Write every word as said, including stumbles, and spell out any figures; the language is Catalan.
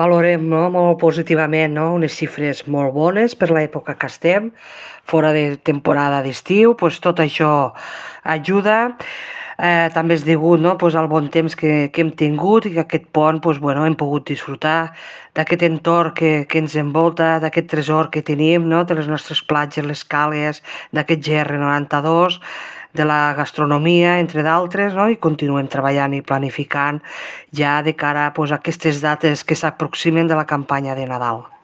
Valorem, no, molt positivament, no, unes xifres molt bones per l'època que estem, fora de temporada d'estiu, doncs tot això ajuda. Eh, també és degut, no, pues, al bon temps que, que hem tingut i que aquest pont pues, bueno, hem pogut disfrutar d'aquest entorn que, que ens envolta, d'aquest tresor que tenim, no, de les nostres platges, les càlies, d'aquest G R noranta dos, de la gastronomia, entre d'altres, no? I continuem treballant i planificant ja de cara pues, a aquestes dates que s'aproximen de la campanya de Nadal.